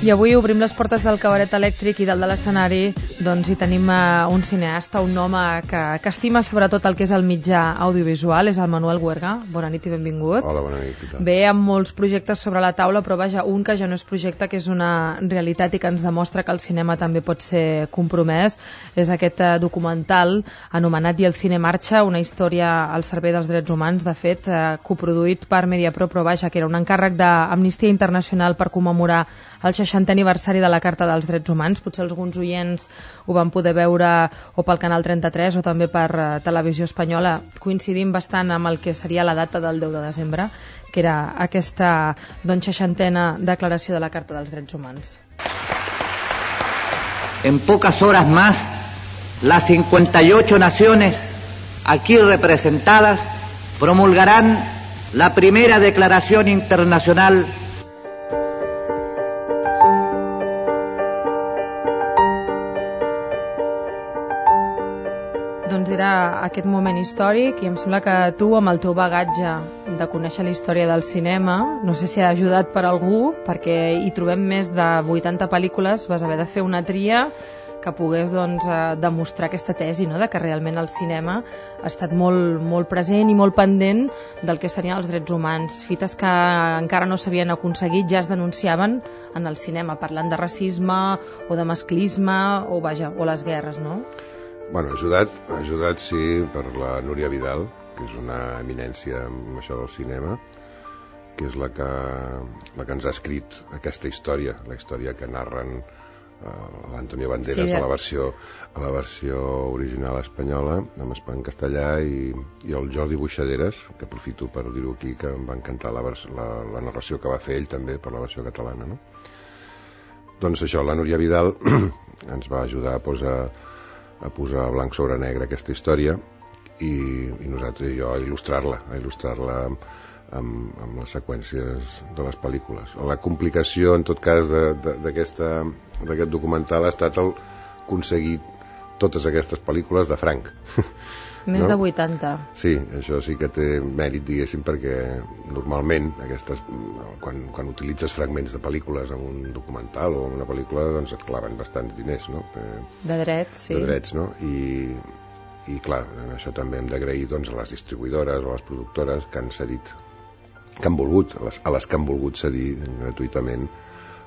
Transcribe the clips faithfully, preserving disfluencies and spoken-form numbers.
I avui obrim les portes del cabaret elèctric i dalt de l'escenari doncs hi tenim uh, un cineasta, un home que, que estima sobretot el que és el mitjà audiovisual, és el Manuel Huerga. Bona nit i benvingut. Hola, bona nit. Ve amb molts projectes sobre la taula, però vaja, un que ja no és projecte, que és una realitat i que ens demostra que el cinema també pot ser compromès. És aquest uh, documental anomenat I el cine marxa, una història al servei dels drets humans, de fet, uh, coproduït per Mediapro, però vaja, que era un encàrrec d'Amnistia Internacional per commemorar el seixantè aniversari de la Carta dels Drets Humans. Potser alguns oients ho van poder veure o pel Canal trenta-tres o també per uh, Televisió Espanyola, coincidint bastant amb el que seria la data del deu de desembre, que era aquesta doncs, seixantena declaració de la Carta dels Drets Humans. En pocas horas más, las cincuenta y ocho naciones aquí representadas promulgarán la primera declaración internacional . Doncs era aquest moment històric i em sembla que tu, amb el teu bagatge de conèixer la història del cinema, no sé si ha ajudat per algú, perquè hi trobem més de vuitanta pel·lícules, vas haver de fer una tria que pogués doncs, demostrar aquesta tesi, no?, de que realment el cinema ha estat molt, molt present i molt pendent del que serien els drets humans. Fites que encara no s'havien aconseguit ja es denunciaven en el cinema, parlant de racisme o de masclisme o, vaja, o les guerres, no? Bueno, ajudat, ajudat sí, per la Núria Vidal, que és una eminència en això del cinema, que és la que, la que ens ha escrit aquesta història, la història que narren uh, l'Antonio Banderas sí, a, la versió, a la versió original espanyola, en castellà, i, i el Jordi Buixaderes, que aprofito per dir-ho aquí, que em va encantar la, la, la narració que va fer ell també per la versió catalana, no? Doncs això, la Núria Vidal ens va ajudar a posar a posar blanc sobre negre aquesta història i, i nosaltres i jo a il·lustrar-la, a il·lustrar-la amb, amb, amb les seqüències de les pel·lícules. La complicació, en tot cas, d'aquest documental ha estat el aconseguir totes aquestes pel·lícules de franc. Més no? de vuitanta. Sí, això sí que té mèrit, diguéssim, perquè normalment aquestes, quan, quan utilitzes fragments de pel·lícules en un documental o en una pel·lícula, doncs et claven bastants diners, no? De drets, sí. De drets, no? I, i clar, això també hem d'agrair doncs, a les distribuïdores o a les productores que han cedit, que han volgut, a les, a les que han volgut cedir gratuïtament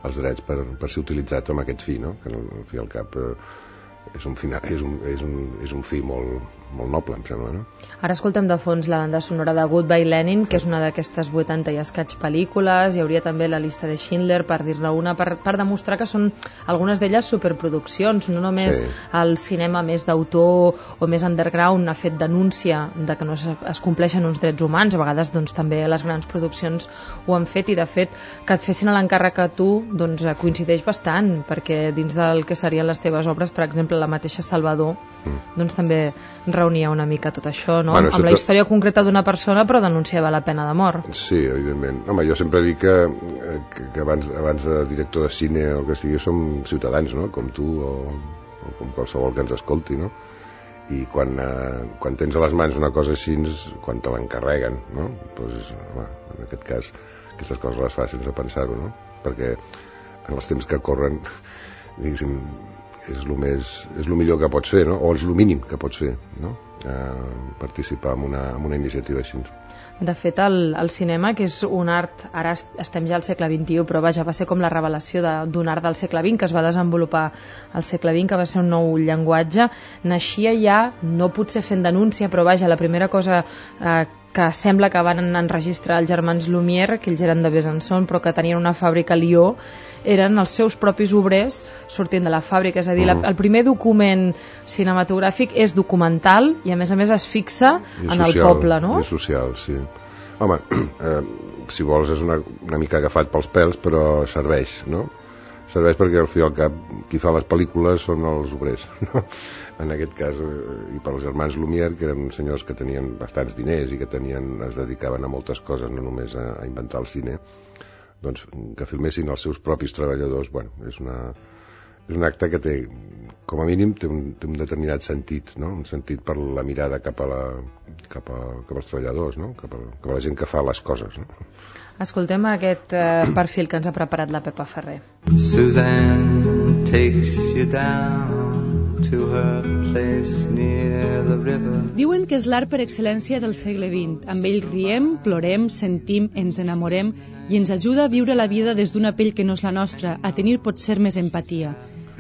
els drets per, per ser utilitzats amb aquest fi, no? Que al fi al cap eh, és un, final, és un, és un, és un fi molt, molt noble, em sembla, no? Ara escoltem de fons la banda sonora de Goodbye Lenin, que és una d'aquestes vuitanta i escaig pel·lícules. Hi hauria també la llista de Schindler, per dir-ne una, per, per demostrar que són algunes d'elles superproduccions, no només sí. El cinema més d'autor o més underground ha fet denúncia de que no es, es compleixen uns drets humans, a vegades doncs, també les grans produccions ho han fet, i de fet que et fessin l'encàrrec a tu doncs, coincideix bastant, perquè dins del que serien les teves obres, per exemple la mateixa Salvador, mm. doncs també reunia una mica tot això, no? Bueno, amb la història concreta d'una persona, però denunciava la pena de mort. Sí, evidentment. Home, jo sempre dic que, que, que abans, abans de director de cine o que sigui, som ciutadans, no? Com tu o, o com qualsevol que ens escolti, no? I quan, eh, quan tens a les mans una cosa així, quan te l'encarreguen, no? Doncs, home, en aquest cas, aquestes coses les fas sense pensar-ho, no? Perquè en els temps que corren, diguéssim, és el més, és el millor que pots fer, no? O és el mínim que pots fer, no? Eh, participar en una, en una iniciativa així. De fet, el, el cinema, que és un art, ara estem ja al segle vint-i-u, però vaja, va ser com la revelació d'un art del segle vint, que es va desenvolupar al segle vint, que va ser un nou llenguatge, naixia ja, no potser fent denúncia, però vaja, la primera cosa eh, que sembla que van enregistrar els germans Lumière, que ells eren de Besançon, però que tenien una fàbrica a Lió, eren els seus propis obrers sortint de la fàbrica. És a dir, uh -huh. la, el primer document cinematogràfic és documental i a més a més es fixa en social, el poble, no? I social, sí. Home, eh, si vols és una, una mica agafat pels pèls, però serveix, no? Serveix perquè al fi i al cap qui fa les pel·lícules són els obrers, no? En aquest cas, eh, i pels germans Lumière, que eren senyors que tenien bastants diners i que tenien, es dedicaven a moltes coses, no només a, a inventar el cine, doncs que filmessin els seus propis treballadors, bueno, és una és un acte que té, com a mínim té un, té un determinat sentit, no? Un sentit per la mirada cap a la cap, a, cap als treballadors, no? Cap a, cap a la gent que fa les coses, no? Escoltem aquest eh, perfil que ens ha preparat la Pepa Ferrer. Suzanne takes you down to her place near the river. Diuen que és l'art per excel·lència del segle vint. Amb ell riem, plorem, sentim, ens enamorem i ens ajuda a viure la vida des d'una pell que no és la nostra, a tenir potser més empatia.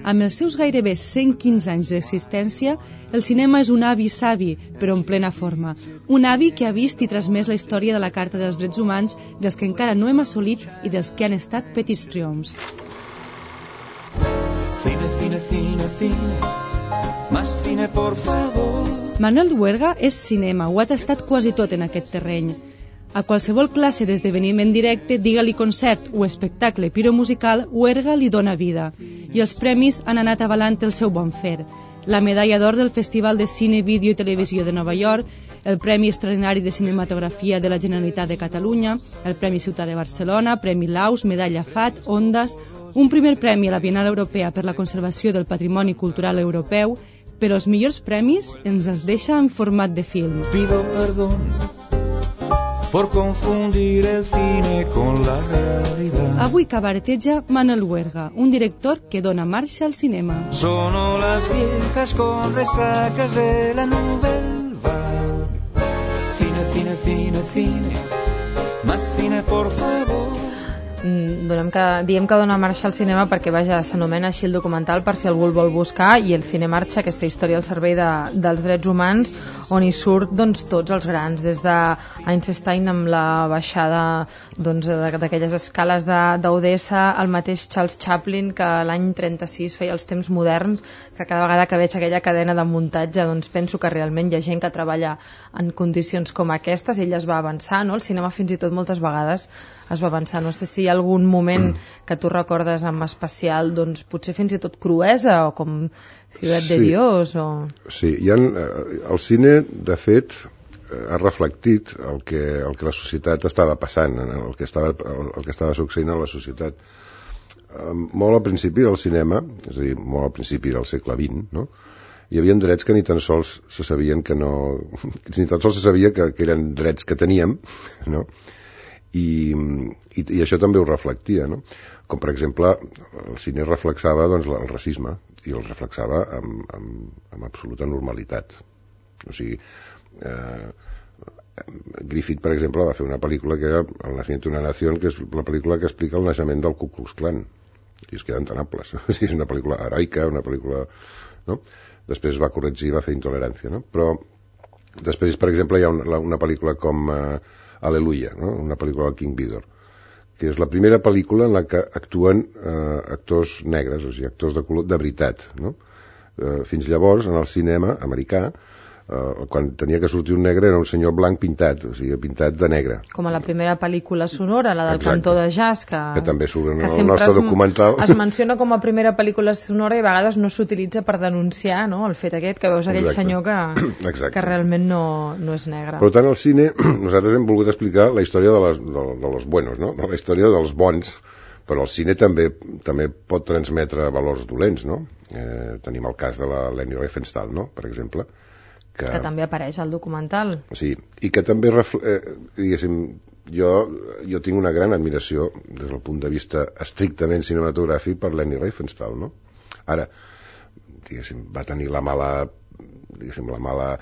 Amb els seus gairebé cent quinze anys d'existència, el cinema és un avi savi, però en plena forma. Un avi que ha vist i transmès la història de la Carta dels Drets Humans, dels que encara no hem assolit i dels que han estat petits triomfs. Cine, cine, cine, cine, más cine, por favor. Manuel Duerga és cinema, ho ha tastat quasi tot en aquest terreny. A qualsevol classe d'esdeveniment directe, digue-li concert o espectacle piromusical, Duerga li dona vida. I els premis han anat avalant el seu bon fer. La medalla d'or del Festival de Cine, Vídeo i Televisió de Nova York, el Premi Extraordinari de Cinematografia de la Generalitat de Catalunya, el Premi Ciutat de Barcelona, Premi Laus, Medalla F A T, Ondas, un primer premi a la Bienal Europea per la Conservació del Patrimoni Cultural Europeu, però els millors premis ens els deixa en format de film. Pido perdón por confundir el cine con la realidad. Avui cabareteja Manuel Duerga, un director que dona marxa al cinema. Sono las viejas con resacas de la Nouvelle Vague. Cine, cine, cine, cine, más cine, por favor. Donem que, diem que dona marxa al cinema perquè, vaja, s'anomena així el documental per si algú el vol buscar, i el Cine Marxa, aquesta història al servei de, dels drets humans, on hi surt doncs, tots els grans, des d'Einstein amb la baixada doncs, d'aquelles escales d'Odessa, el mateix Charles Chaplin, que l'any trenta-sis feia els temps moderns, que cada vegada que veig aquella cadena de muntatge doncs penso que realment hi ha gent que treballa en condicions com aquestes. Ell es va avançar, no? El cinema fins i tot moltes vegades es va avançar. No sé si hi ha algun moment que tu recordes amb especial, doncs potser fins i tot cruesa, o com Ciutat sí. de Dios, o... Sí, hi ha, el cine, de fet, ha reflectit el que, el que la societat estava passant, el que estava, el que estava succeint a la societat. Molt al principi del cinema, és a dir, molt al principi del segle vint, no? Hi havia drets que ni tan sols se sabien que no... ni tan sols se sabia que, que eren drets que teníem, no? I, i, i això també ho reflectia, no? Com per exemple el cine reflexava doncs, el racisme, i el reflexava amb, amb, amb absoluta normalitat. O sigui, eh, Griffith, per exemple, va fer una pel·lícula que era El nacimiento de una nación, que és la pel·lícula que explica el naixement del Ku Klux Klan, i es queden tan amples. O sigui, és una pel·lícula heroica, una pel·lícula, no? Després va corregir, va fer Intolerància, no? Però després, per exemple, hi ha una, una pel·lícula com eh, Aleluia, no? Una pel·lícula del King Vidor, que és la primera pel·lícula en la que actuen eh, actors negres, o sigui, actors de color de veritat, no? Eh, fins llavors, en el cinema americà, eh, quan tenia que sortir un negre era un senyor blanc pintat, o sigui, pintat de negre. Com a la primera pel·lícula sonora, la del Exacte. Cantó de jazz, que, que també surt en el nostre es, documental. Es menciona com a primera pel·lícula sonora i a vegades no s'utilitza per denunciar, no?, el fet aquest, que veus aquell Exacte. Senyor que, que realment no, no és negre. Per tant, al cine nosaltres hem volgut explicar la història de, les, de, de los buenos, no?, la història dels bons, però el cine també també pot transmetre valors dolents, no? Eh, tenim el cas de la Leni Riefenstahl, no?, per exemple, que, que també apareix al documental. Sí, i que també, eh, diguéssim, jo, jo tinc una gran admiració des del punt de vista estrictament cinematogràfic per Leni Riefenstahl, no? Ara, diguéssim, va tenir la mala, diguéssim, la mala,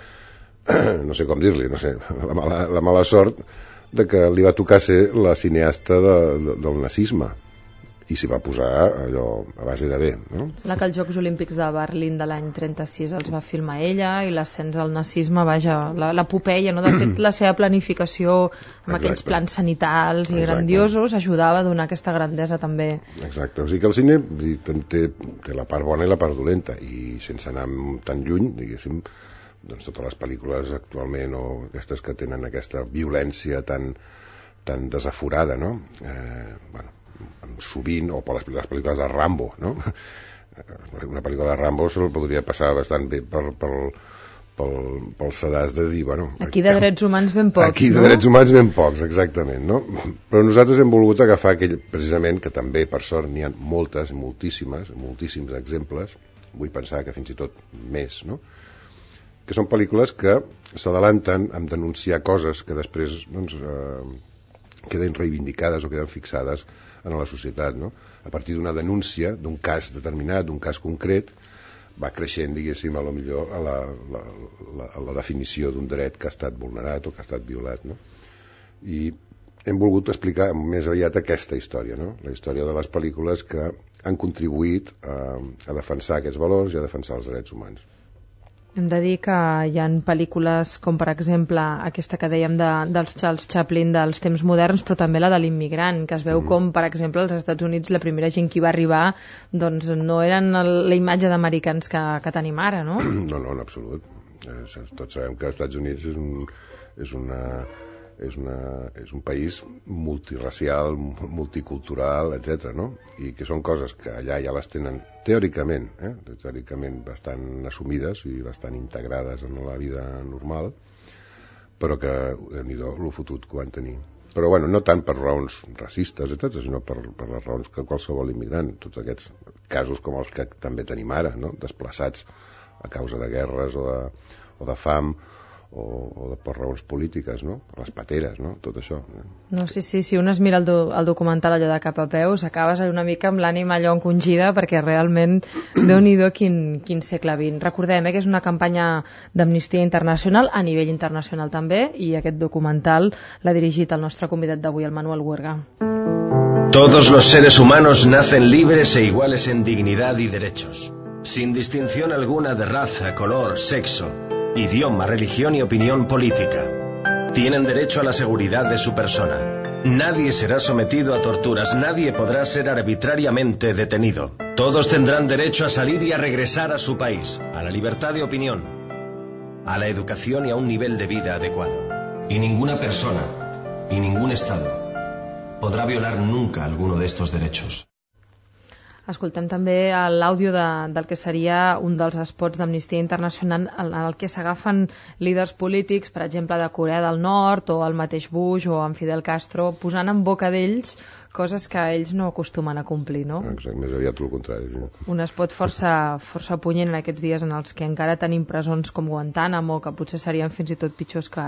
no sé com dir-li, no sé, la mala, la mala sort de que li va tocar ser la cineasta de, de, del nazisme, i s'hi va posar allò a base de bé, no? Sembla que els Jocs Olímpics de Berlín de l'any trenta-sis els va filmar ella, i l'ascens al nazisme, vaja, l'epopeia, no? De fet, la seva planificació amb Exacte. Aquells plans sanitals i Exacte. Grandiosos ajudava a donar aquesta grandesa també. Exacte, o sigui que el cine té, té la part bona i la part dolenta, i sense anar tan lluny, diguéssim, doncs totes les pel·lícules actualment, o aquestes que tenen aquesta violència tan, tan desaforada, no? Eh, bueno, sovint, o per les, les pel·lícules de Rambo, no? Una pel·lícula de Rambo se'l podria passar bastant bé per, per, pel, pel sedàs de dir, bueno... Aquí de drets humans ben pocs, aquí no? Aquí de drets humans ben pocs, exactament, no? Però nosaltres hem volgut agafar aquell, precisament, que també, per sort, n'hi ha moltes, moltíssimes, moltíssims exemples, vull pensar que fins i tot més, no? Que són pel·lícules que s'adalanten en denunciar coses que després, doncs... Eh, queden reivindicades o queden fixades en la societat, no? A partir d'una denúncia d'un cas determinat, d'un cas concret, va creixent, diguéssim, a lo millor a la, la, la, a la definició d'un dret que ha estat vulnerat o que ha estat violat, no? I hem volgut explicar més aviat aquesta història, no? La història de les pel·lícules que han contribuït a, a defensar aquests valors i a defensar els drets humans. Hem de dir que hi ha pel·lícules com, per exemple, aquesta que dèiem de, dels Charles Chaplin dels temps moderns, però també la de l'immigrant, que es veu mm. com, per exemple, als Estats Units la primera gent que hi va arribar doncs no eren el, la imatge d'americans que, que tenim ara, no? No, no, en absolut. Eh, tots sabem que els Estats Units és un, és una... És, una, és un país multiracial, multicultural, etcètera, no? I que són coses que allà ja les tenen teòricament, eh? teòricament bastant assumides i bastant integrades en la vida normal, però que, déu-n'hi-do, lo fotut que van tenir. Però, bueno, no tant per raons racistes, etcètera, sinó per, per les raons que qualsevol immigrant, tots aquests casos com els que també tenim ara, no? Desplaçats a causa de guerres o de, o de fam, o, o de, per raons polítiques, no? Per les pateres, no? Tot això. No, sí, sí, si un es mira el, do, el documental allò de cap a peus, acabes una mica amb l'ànima allò encongida, perquè realment déu-n'hi-do quin, quin segle vint. Recordem eh, que és una campanya d'Amnistia Internacional, a nivell internacional també, i aquest documental l'ha dirigit el nostre convidat d'avui, el Manuel Huerga. Todos los seres humanos nacen libres e iguales en dignidad y derechos, sin distinción alguna de raza, color, sexo, idioma, religión y opinión política. Tienen derecho a la seguridad de su persona. Nadie será sometido a torturas, nadie podrá ser arbitrariamente detenido. Todos tendrán derecho a salir y a regresar a su país, a la libertad de opinión, a la educación y a un nivel de vida adecuado. Y ninguna persona, y ningún Estado, podrá violar nunca alguno de estos derechos. Escoltem també l'àudio de, del que seria un dels spots d'Amnistia Internacional en el que s'agafen líders polítics, per exemple, de Corea del Nord o el mateix Bush o en Fidel Castro, posant en boca d'ells coses que ells no acostumen a complir, no? Exacte, més aviat el contrari. Sí. Un spot força, força punyent en aquests dies en els que encara tenim presons com Guantánamo, que potser serien fins i tot pitjors que,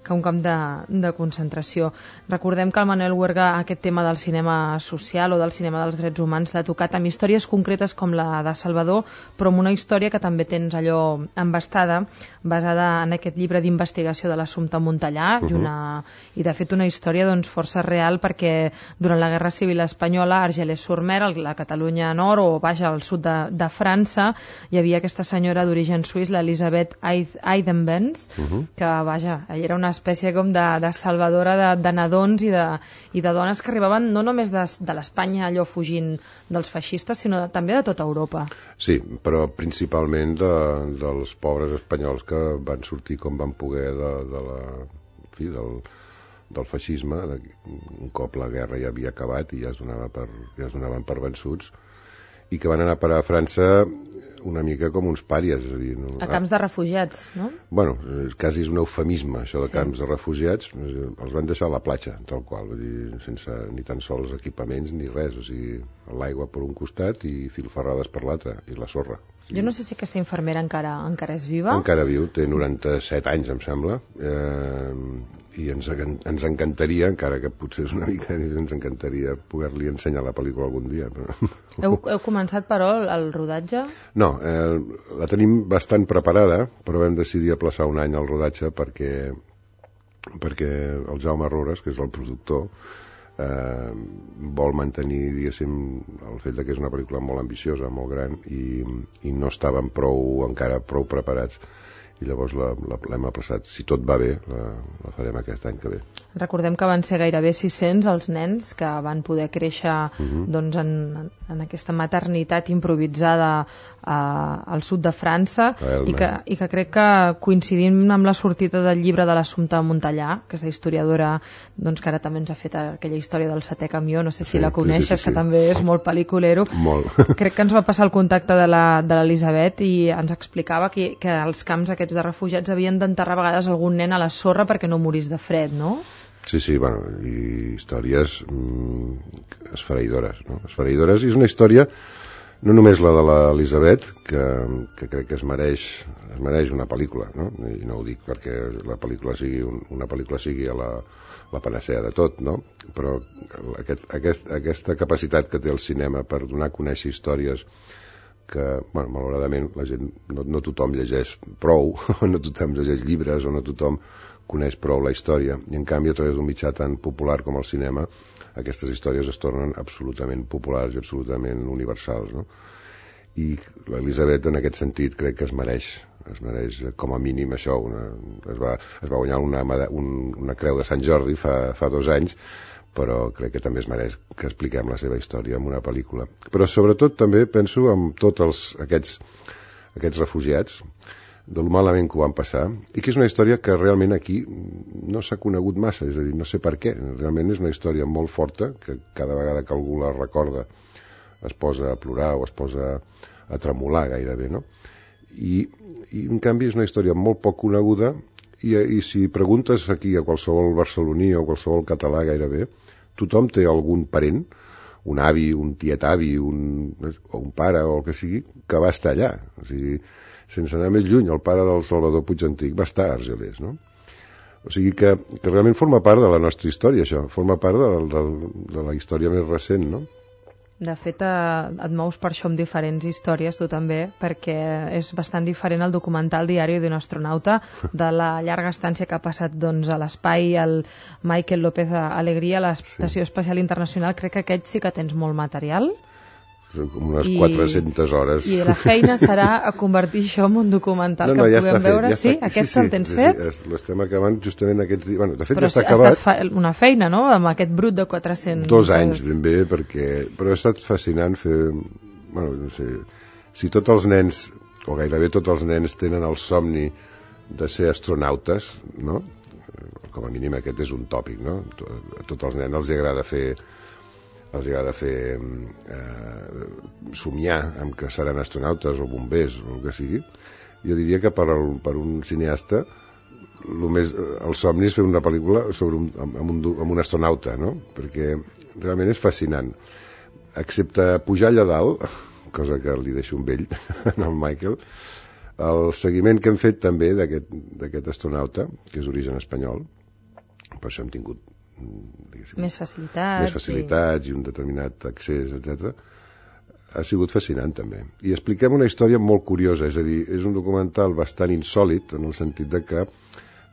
que un camp de, de concentració. Recordem que el Manuel Huerga aquest tema del cinema social o del cinema dels drets humans l'ha tocat amb històries concretes com la de Salvador, però amb una història que també tens allò embastada, basada en aquest llibre d'investigació de l'Assumpte Montellà, uh -huh. i, una, i de fet una història doncs, força real, perquè durant la Guerra Civil Espanyola, a Argelès-sur-Mer, a la Catalunya Nord o vaja al sud de, de França, hi havia aquesta senyora d'origen suís, l'Elisabeth Eidenbenz, uh -huh. que vaja, ella era una espècie com de, de salvadora de, de nadons i de, i de dones que arribaven no només de, de l'Espanya allò fugint dels feixistes, sinó de, també de tota Europa. Sí, però principalment de, dels pobres espanyols que van sortir com van poder de, de la, en fi, del, del feixisme, de, un cop la guerra ja havia acabat i ja es, donava per, ja es donaven per vençuts, i que van anar a parar a França una mica com uns pàries. És a dir, no? A camps de refugiats, no? Bueno, quasi és un eufemisme, això de sí. camps de refugiats. Els van deixar a la platja, tal qual, vull dir, sense ni tan sols equipaments ni res, o sigui, l'aigua per un costat i filferrades per l'altre, i la sorra. Sí. Jo no sé si aquesta infermera encara encara és viva. Encara viu, té noranta-set anys, em sembla, eh, i ens, ens encantaria, encara que potser és una mica, ens encantaria poder-li ensenyar la pel·lícula algun dia. Però... Heu, heu començat, però, el rodatge? No, eh, la tenim bastant preparada, però vam decidir aplaçar un any el rodatge perquè, perquè el Jaume Rores, que és el productor, eh, vol mantenir, diguéssim, el fet que és una pel·lícula molt ambiciosa, molt gran, i, i no estàvem prou, encara prou preparats, i llavors l'hem aplaçat. Si tot va bé, la, la farem aquest any que ve. Recordem que van ser gairebé sis-cents els nens que van poder créixer uh-huh. doncs, en, en aquesta maternitat improvisada a, al sud de França, i que, i que crec que coincidint amb la sortida del llibre de l'Assumpte Montellà, aquesta historiadora doncs, que ara també ens ha fet aquella història del setè camió, no sé si sí, la coneixes, sí, sí, sí, sí. que també és molt pel·liculero. Molt. Crec que ens va passar el contacte de l'Elisabet i ens explicava que, que els camps aquests de refugiats havien d'enterrar a vegades algun nen a la sorra perquè no morís de fred, no? Sí, sí, bueno, i històries mm, esfereïdores, no? Esfereïdores, i és una història no només la de l'Elisabet, que, que crec que es mereix, es mereix una pel·lícula, no? I no ho dic perquè la pel·lícula sigui un, una pel·lícula sigui a la, la panacea de tot, no? Però aquest, aquest, aquesta capacitat que té el cinema per donar a conèixer històries que, bueno, malauradament la gent, no, no tothom llegeix prou, no tothom llegeix llibres o no tothom coneix prou la història, i en canvi a través d'un mitjà tan popular com el cinema aquestes històries es tornen absolutament populars i absolutament universals, no? I l'Elisabet en aquest sentit crec que es mereix, es mereix com a mínim això, una, es, va, es va guanyar una, un, una creu de Sant Jordi fa, fa dos anys, però crec que també es mereix que expliquem la seva història en una pel·lícula. Però sobretot també penso en tots els, aquests, aquests refugiats, de lo malament que ho van passar, i que és una història que realment aquí no s'ha conegut massa, és a dir, no sé per què, realment és una història molt forta, que cada vegada que algú la recorda es posa a plorar o es posa a tremolar gairebé, no? I, i en canvi és una història molt poc coneguda, i, i si preguntes aquí a qualsevol barceloní o qualsevol català gairebé, tothom té algun parent, un avi, un tiet avi, un, o un pare o el que sigui, que va estar allà, o sigui, sense anar més lluny, el pare del Salvador Puig Antic va estar a Argelers, no? O sigui que, que realment forma part de la nostra història, això, forma part de, de, de la història més recent, no? De fet, eh, et mous per això amb diferents històries, tu també, perquè és bastant diferent el documental Diari d'un astronauta, de la llarga estància que ha passat doncs, a l'espai, el Michael López Alegría, a l'Estació sí. Espacial Internacional. Crec que aquest sí que tens molt material. Com unes I, quatre-centes hores. I la feina serà a convertir això en un documental no, no, que ja puguem veure. Ja sí? Està, aquest sí, sí, el tens sí, fet? Sí, l'estem acabant justament aquests dies. Bueno, de fet però ja està acabat. Però ha estat una feina, no?, amb aquest brut de quatre-cents... Dos anys, ben bé, perquè... Però ha estat fascinant fer... Bueno, no sé... Si tots els nens, o gairebé tots els nens, tenen el somni de ser astronautes, no? Com a mínim aquest és un tòpic, no? A tots els nens els agrada fer... els agrada fer eh, somiar amb que seran astronautes o bombers o el que sigui. Jo diria que per, el, per un cineasta el, més, el somni és fer una pel·lícula sobre un, amb, un, amb un astronauta, no? Perquè realment és fascinant, excepte pujar allà dalt, cosa que li deixo un vell en el Michael, el seguiment que hem fet també d'aquest astronauta, que és d'origen espanyol, per això hem tingut més facilitats, més facilitats i... i un determinat accés, etcètera, ha sigut fascinant també. I expliquem una història molt curiosa, és a dir, és un documental bastant insòlit en el sentit de que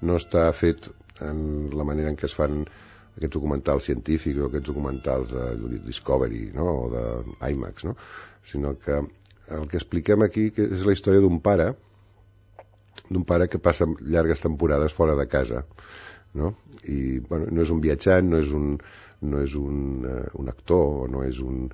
no està fet en la manera en què es fan aquests documentals científics o aquests documentals de Discovery, no? O d'IMAX, no? Sinó que el que expliquem aquí que és la història d'un pare d'un pare que passa llargues temporades fora de casa, no? I bueno, no és un viatjant, no és un, no és un, uh, un actor, no és un,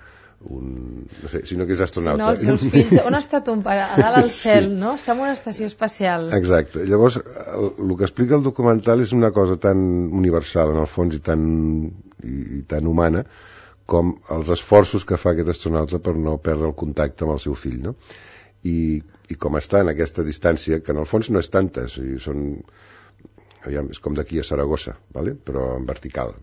un no sé, sinó que és astronauta. Si no, els seus fills, on ha estat un pare? A dalt al cel, sí. No? Està en una estació espacial. Exacte. Llavors, el, el que explica el documental és una cosa tan universal en el fons i tan, i, i tan humana com els esforços que fa aquest astronauta per no perdre el contacte amb el seu fill, no? I, i com està en aquesta distància, que en el fons no és tanta, o sigui, són aviam, és com d'aquí a Saragossa, vale? Però en vertical.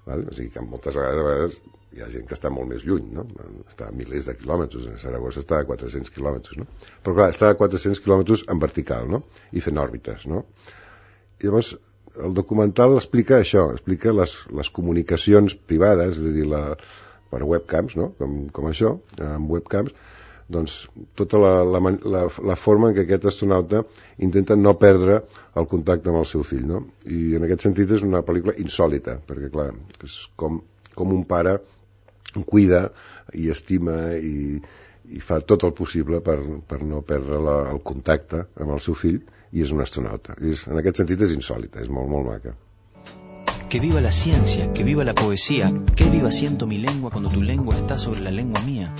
Vale? O sigui que moltes vegades, a vegades hi ha gent que està molt més lluny, no? Està a milers de quilòmetres, a Saragossa està a quatre-cents quilòmetres, no? Però clar, està a quatre-cents quilòmetres en vertical, no? I fent òrbites, no? I llavors el documental explica això, explica les, les comunicacions privades, és a dir, la, per webcams, no? Com, com això, amb webcams, doncs tota la, la, la, la forma en què aquest astronauta intenta no perdre el contacte amb el seu fill, no? I en aquest sentit és una pel·lícula insòlita, perquè clar, és com, com un pare cuida i estima i, i fa tot el possible per, per no perdre la, el contacte amb el seu fill, i és un astronauta. És, en aquest sentit és insòlita, és molt, molt maca. Que viva la ciencia, que viva la poesía, que viva siento mi lengua cuando tu lengua está sobre la lengua mía.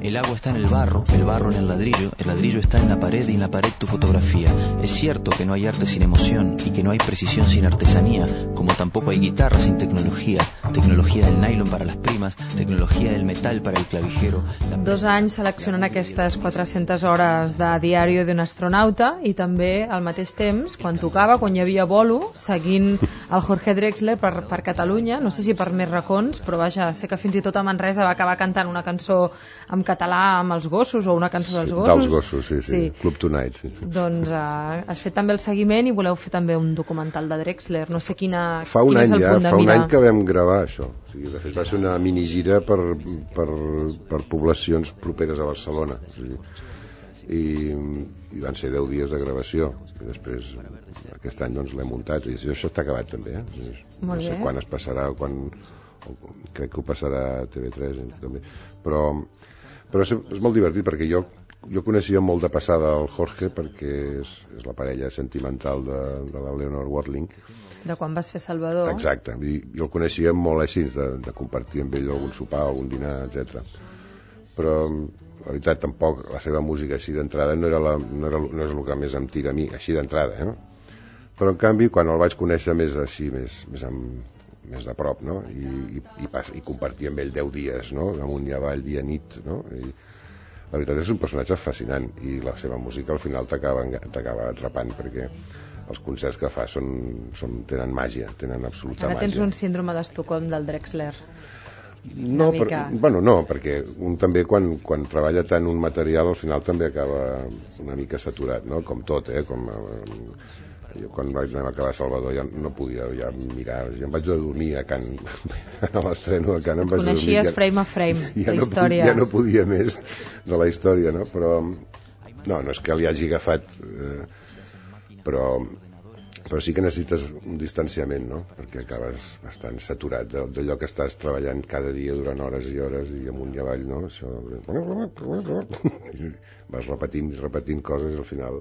El agua está en el barro, el barro en el ladrillo, el ladrillo está en la pared y en la pared tu fotografía. Es cierto que no hay arte sin emoción y que no hay precisión sin artesanía, como tampoco hay guitarra sin tecnología, tecnología del nylon para las primas, tecnología del metal para el clavijero. Dos anys seleccionant aquestes quatre-centes hores de diari d'un astronauta i també al mateix temps, quan tocava, quan hi havia bolo, seguint el Jorge Drexler per, per Catalunya, no sé si per més racons, però vaja, sé que fins i tot a Manresa va acabar cantant una cançó en català amb els gossos, o una cançó dels gossos. Dels gossos, sí, sí, sí. Club Tonight. Sí, sí. Doncs uh, has fet també el seguiment i voleu fer també un documental de Drexler, no sé quina, fa un quin any és el ja, punt de fa mira. un any que vam gravar això. O sigui, de fet va ser una minigira per, per, per poblacions properes a Barcelona. O sigui, i, i van ser deu dies de gravació i després aquest any doncs l'hem muntat i això està acabat també, eh? No sé quan es passarà, quan, crec que ho passarà a T V tres també. Però, però és, és molt divertit perquè jo jo coneixia molt de passada el Jorge perquè és, és la parella sentimental de, de la Leonor Watling. De quan vas fer Salvador. Exacte, i jo el coneixia molt així, de, de compartir amb ell algun sopar, algun dinar, etcètera. Però la veritat tampoc la seva música així d'entrada no, era la, no, era, no és el que més em tira a mi, així d'entrada, eh? Però en canvi quan el vaig conèixer més així, més, més, amb, més de prop, no? I, i, i, pas, i compartir amb ell deu dies, no? Amunt i avall, dia nit, no? I la veritat és un personatge fascinant i la seva música al final t'acaba atrapant perquè els concerts que fa són, són, tenen màgia, tenen absoluta Ara màgia. tens un síndrome d'Estocolm del Drexler. No, per, bueno, no, perquè un també quan, quan treballa tant un material al final també acaba una mica saturat, no? Com tot, eh? Com, eh, jo quan vaig anar a acabar Salvador ja no podia ja mirar, ja em vaig a dormir a Can, a l'estreno a Can em vaig a dormir. Coneixies ja, frame a frame, ja la no, història. Ja no podia més de la història, no? Però no, no és que li hagi agafat, eh, però però sí que necessites un distanciament, no? Perquè acabes bastant saturat d'allò que estàs treballant cada dia durant hores i hores i amunt i avall, no? Això... vas repetint i repetint coses i al final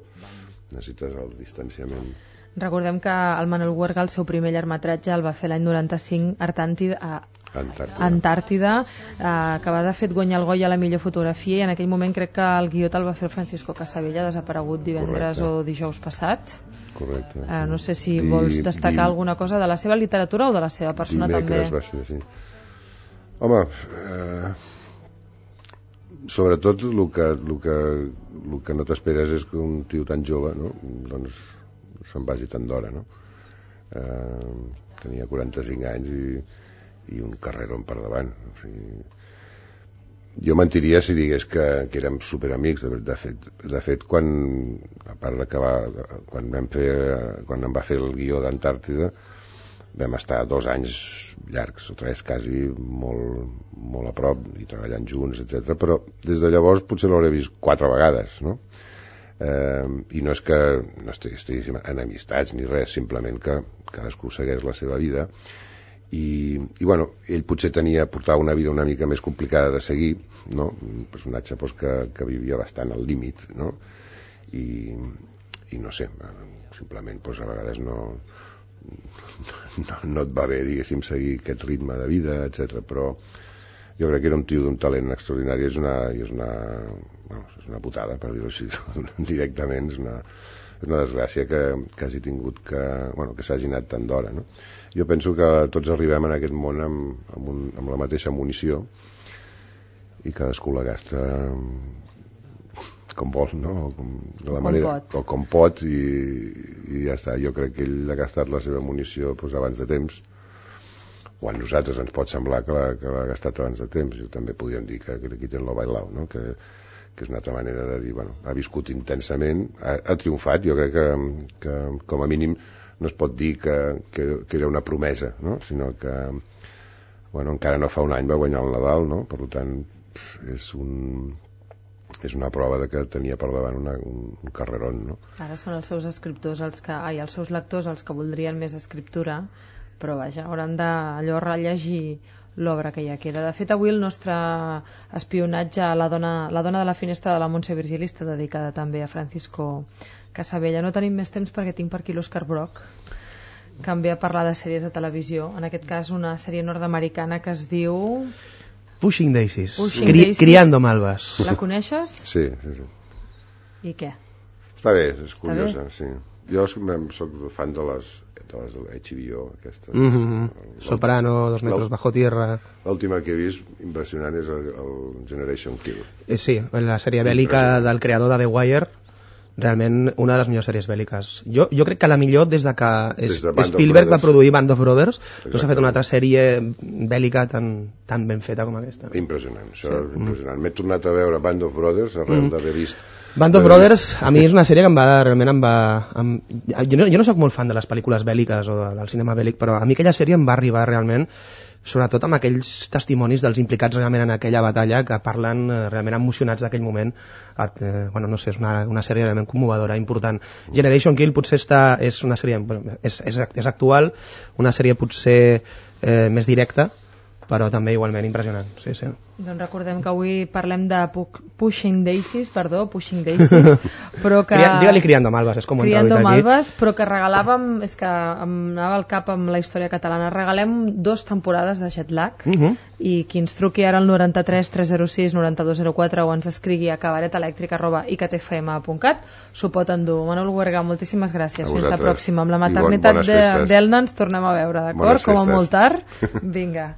necessites el distanciament. Recordem que el Manuel Huerga, el seu primer llargmetratge, el va fer l'any noranta-cinc, Artàntida, a Antàrtida, Antàrtida eh, que va de fet guanyar el Goya a la millor fotografia i en aquell moment crec que el guió te'l va fer el Francisco Casabella, desaparegut divendres Correcte. O dijous passat. Correcte. Sí. Eh, no sé si vols destacar di, alguna cosa de la seva literatura o de la seva persona també. Va ser, sí. Home, eh, sobretot el que, el que, el que no t'esperes és que un tio tan jove, no? Doncs se'n vagi tan d'hora, no? Eh, tenia quaranta-cinc anys i, i un carrerón per davant. O sigui, jo mentiria si digués que, que érem superamics. De, de fet, de fet quan, a part d'acabar, quan vam fer, quan em va fer el guió d'Antàrtida, vam estar dos anys llargs o tres, quasi molt, molt a prop i treballant junts, etcètera. Però des de llavors potser l'hauré vist quatre vegades, no? Eh, i no és que no estiguéssim en amistats ni res, simplement que cadascú segueix la seva vida i, i bueno, ell potser tenia, portava una vida una mica més complicada de seguir, no? Un personatge pues, que, que vivia bastant al límit, no? I, i no sé, simplement pues, a vegades no, no, no et va bé, diguéssim, seguir aquest ritme de vida, etcètera. Però jo crec que era un tio d'un talent extraordinari, és una, és una, bueno, és una putada, per dir-ho així, directament, és una, és una desgràcia que, que hagi tingut que, bueno, que s'hagi anat tant d'hora, no? Jo penso que tots arribem en aquest món amb, amb, un, amb la mateixa munició i cadascú la gasta com vol, no? O com, de la com manera, pot. o com pot i, i ja està. Jo crec que ell ha gastat la seva munició pues, abans de temps, o a nosaltres ens pot semblar que l'ha, que l'ha gastat abans de temps. Jo també podríem dir que, que li quiten lo bailao, no? Que, que és una altra manera de dir, bueno, ha viscut intensament, ha, ha triomfat. Jo crec que, que com a mínim no es pot dir que, que, que era una promesa, no? Sinó que bueno, encara no fa un any va guanyar el Nadal, no? Per tant és un, és una prova de que tenia per davant una, un, un carrerón, no? Ara són els seus escriptors els que, ai, els seus lectors els que voldrien més escriptura, però vaja, hauran d'allò rellegir l'obra que ja queda. De fet, avui el nostre espionatge a la dona, la dona de la finestra de la Montse Virgili està dedicada també a Francisco Casabella. No tenim més temps perquè tinc per aquí l'Òscar Brock, que em ve a parlar de sèries de televisió, en aquest cas una sèrie nord-americana que es diu Pushing Daisies. Pushing Cri Daisies. Criando Malvas. La coneixes? Sí, sí, sí. I què? Està bé, és Està curiosa, bé? sí. Jo soc fan de les de les de l'H B O, aquestes. Mm -hmm. Soprano, Dos metros bajo tierra. L'última que he vist impressionant és el, el Generation Kill. Eh, sí, la sèrie bèl·lica del creador de The Wire, realment una de les millors sèries bèl·liques. Jo, jo crec que la millor des de que Des de Spielberg va produir Band of Brothers, no s'ha fet una Exactament. altra sèrie bèl·lica tan, tan ben feta com aquesta. Impressionant, això Sí. és impressionant. M'he tornat a veure Band of Brothers arrel Mm. d'haver vist... Band of d'haver Brothers vist- a mi és una sèrie que em va, realment em va... Em, jo, no, jo no sóc molt fan de les pel·lícules bèl·liques o de, del cinema bèl·lic, però a mi aquella sèrie em va arribar realment, sobretot amb aquells testimonis dels implicats realment en aquella batalla que parlen eh, realment emocionats d'aquell moment. Eh, bueno, no sé, és una, una sèrie realment commovedora, important. Generation Kill potser està, és una sèrie, bueno, és, és, és actual, una sèrie potser eh, més directa, però també igualment impressionant. Sí, sí. Doncs recordem que avui parlem de Pu- Pushing Daisies, perdó, Pushing Daisies, però que... Cria, digue-li Criando Malvas, és com ho hem Criando traduït aquí. Malvas, però que regalàvem, és que em anava al cap amb la història catalana, regalem dos temporades de Jetlag, Uh -huh. i qui ens truqui ara al noranta-tres tres zero sis noranta dos zero quatre o ens escrigui a cabaretelèctric arroba i c t f m punt cat s'ho pot endur. Manol Huerga, moltíssimes gràcies. A Fins la vosaltres. pròxima. Amb la I bon- maternitat bones de festes. d'Elna ens tornem a veure, d'acord? Bones Com a festes. molt tard. Vinga.